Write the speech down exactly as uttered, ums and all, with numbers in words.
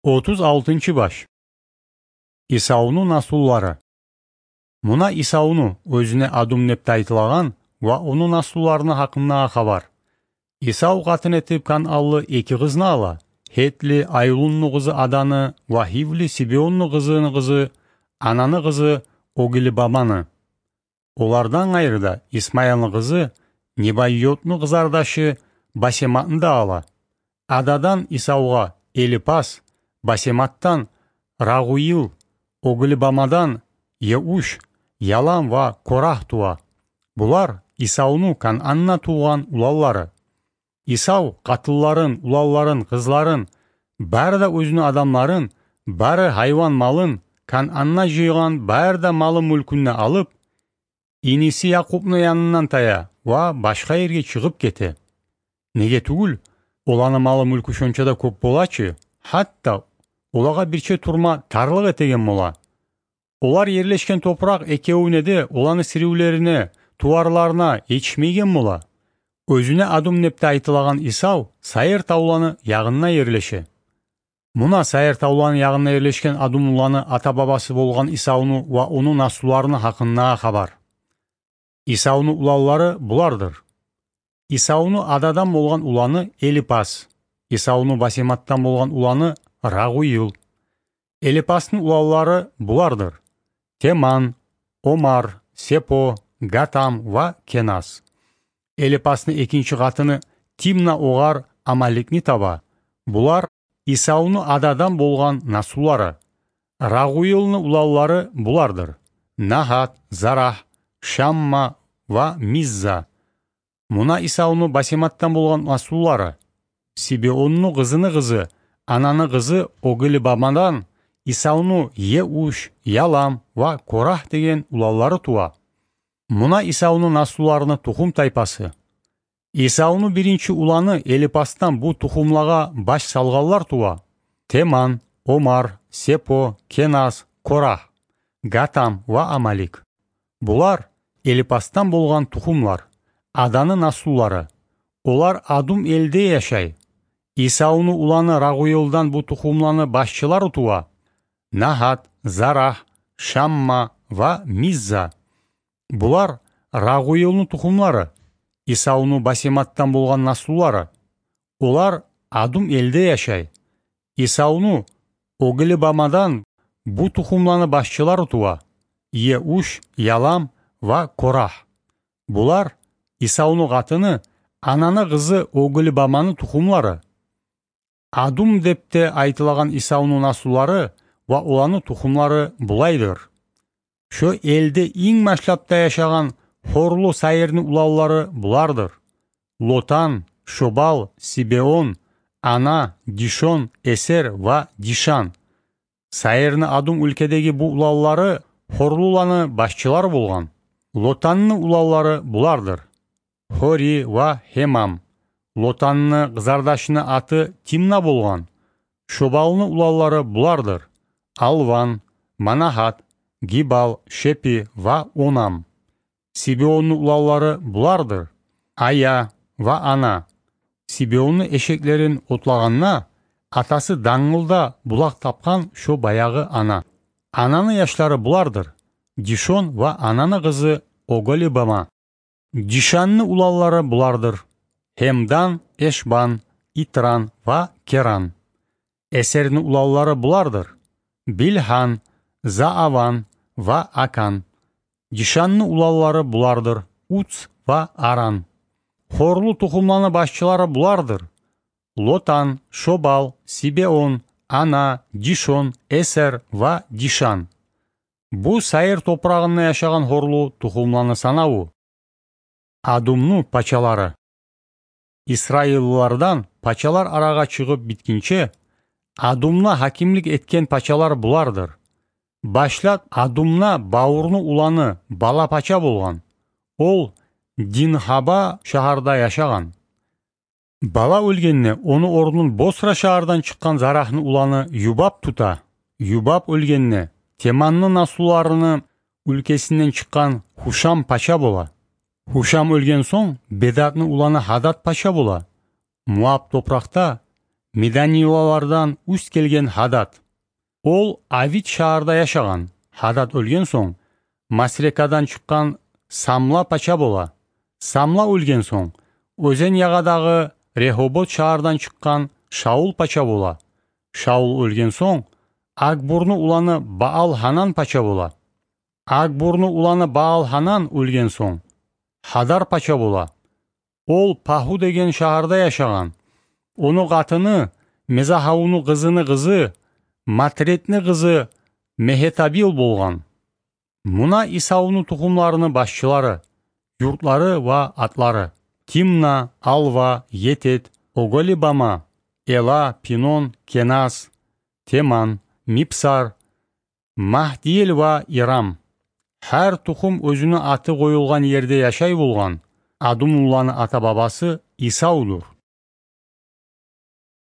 Отуз алтынчы баш. Исавну наслулары. Муна Исавну, оьзюне Адум деп де айтылагъан, ва ону наслуларыны гьакъындагъы хабар. Исав къатын этип канъанлы эки къызны ала: гьетли Айлунну къызы Аданы ва гьивли Сибеонну къызыны къызы, Ананы къызы Оглибаманы. Олардан къайры да Исмаилни къызы Небайотну къызардашы Басематны да ала. Ададан Исавгъа Элипас, Басематдан Рагъуил, Оглибамадан Еуш, Ялам ва Корагь тува. Булар Исавну Канъанда тувгъан уланлары. Исав къатынларын, уланларын, къызларын, бары да оьзюню адамларын, бары гьайван малын, Канъанда жыйгъан бары да малы-мюлкюн де алып, иниси Якъубну янындан тая ва башгъа ерге чыгъып гете. Неге тюгюл, оланы малы-мюлкю шонча да кёп бола чы, гьатта олагъа бирче турма тарлыкъ этеген бола. Олар ерлешген топуракъ экевюне де, оланы сиривлерине, туварларына етишмейген бола. Оьзюне Адум деп де айтылагъан Исав Сайыр тавланы ягъында ерлеше. Муна Сайыр тавланы ягъында ерлешген адумлуланы ата-бабасы болгъан Исавну ва ону наслуларыны гьакъындагъы хабар. Исавну уланлары булардыр. Исавну Ададан болгъан уланы Элипас, Исавну Басематдан болгъан уланы Рагъуил. Элипасны уланлары булардыр: Теман, Омар, Сепо, Гатам ва Кеназ. Элипасны экинчи къатыны Тимна огъар Амаликни таба. Булар Исавну Ададан болгъан наслулары. Рагъуилни уланлары булардыр: Нагьат, Зарагь, Шамма ва Мизза. Муна Исавну Басематдан болгъан наслулары. Сибеонну къызыны къызы, Ананы къызы Оглибамадан Исавну Еуш, Ялам ва Корагь деген уланлары тува. Муна Исавну наслуларыны тухум-тайпасы. Исавну биринчи уланы Элипасдан бу тухумлагъа баш салгъанлар тува: Теман, Омар, Сепо, Кеназ, Корагь, Гатам ва Амалик. Булар Элипасдан болгъан тухумлар, Аданы наслулары. Олар Адум элде яшай. Исавну уланы Рагъуилдан бу тухумланы башчылары тува: Нагьат, Зарагь, Шамма ва Мизза. Булар Рагъуилни тухумлары, Исавну Басематдан болгъан наслулары. Олар Адум элде яшай. Исавну Оглибамадан бу тухумланы башчылары тува: Еуш, Ялам ва Корагь. Булар Исавну къатыны, Ананы къызы Оглибаманы тухумлары. Адум деп де айтылагъан Исавну наслулары ва оланы тухумлары булайдыр. Шо элде инг башлап да яшагъан хорлу Сайырны уланлары булардыр: Лотан, Шобал, Сибеон, Ана, Дишон, Эсер ва Дишан. Сайырны Адум уьлкедеги бу уланлары хорлуланы башчылары болгъан. Лотанны уланлары булардыр: Хори ва Хемам. Лотанны къызардашыны аты Тимна болгъан. Шобалны уланлары булардыр: Алван, Манагьат, Гибал, Шепи ва Онам. Сибеонну уланлары булардыр: Ая ва Ана. Сибеонну эшеклерин отлагъанда, атасы дангылда булакъ тапгъан шо баягъы Ана. Ананы яшлары булардыр: Дишон ва Ананы къызы Оголибама. Дишанны уланлары булардыр: Хемдан, Эшбан, Итран ва Керан. Эсерни уланлары булардыр: Билгьан, Зааван ва Акан. Дишанны уланлары булардыр: Уц ва Аран. Хорлу тухумланы башчылары булардыр: Лотан, Шобал, Сибеон, Ана, Дишон, Эсер ва Дишан. Бу Сайыр топурагъында яшагъан хорлу тухумланы санаву. Адумну пачалары. Исраиллылардан пачалар арагъа чыгъып битгинче, Адумда гьакимлик этген пачалар булардыр. Башлап Адумда Бавурну уланы Бала пача болгъан. Ол Динхаба шагьарда яшагъан. Бала оьлгенде, ону орнун Босра шагьардан чыкъгъан Зарагьны уланы Юбаб тута. Юбаб оьлгенде, Теманны наслуларыны уьлкесинден чыкъгъан Хушам пача бола. Хушам оьлген сонг, Бедадны уланы Гьадад пача бола. Муаб топуракъда Меданилалардан уьст гелген Гьадад. Ол Авит шагьарда яшагъан. Гьадад оьлген сонг, Масрекадан чыкъгъан Самла пача бола. Самла оьлген сонг, оьзен ягъадагъы Регьобот шагьардан чыкъгъан Шаул пача бола. Шаул оьлген сонг, Агбурну уланы Баал-Гьанан пача бола. Агбурну уланы Баал-Гьанан оьлген сонг, Гьадар пача бола. Ол Пагьу деген шагьарда яшагъан. Ону къатыны Мезагьавну къызыны къызы, Матредни къызы Мегьетабил болгъан. Муна Исавну тухумларыны башчылары, юртлары ва атлары: Тимна, Алва, Етет, Оголибама, Эла, Пинон, Кеназ, Теман, Мипсар, Магьдиел ва Ирам. Гьар тухум оьзюню аты къоюлгъан ерде яшай болгъан. Адумлуланы ата-бабасы Исавдур.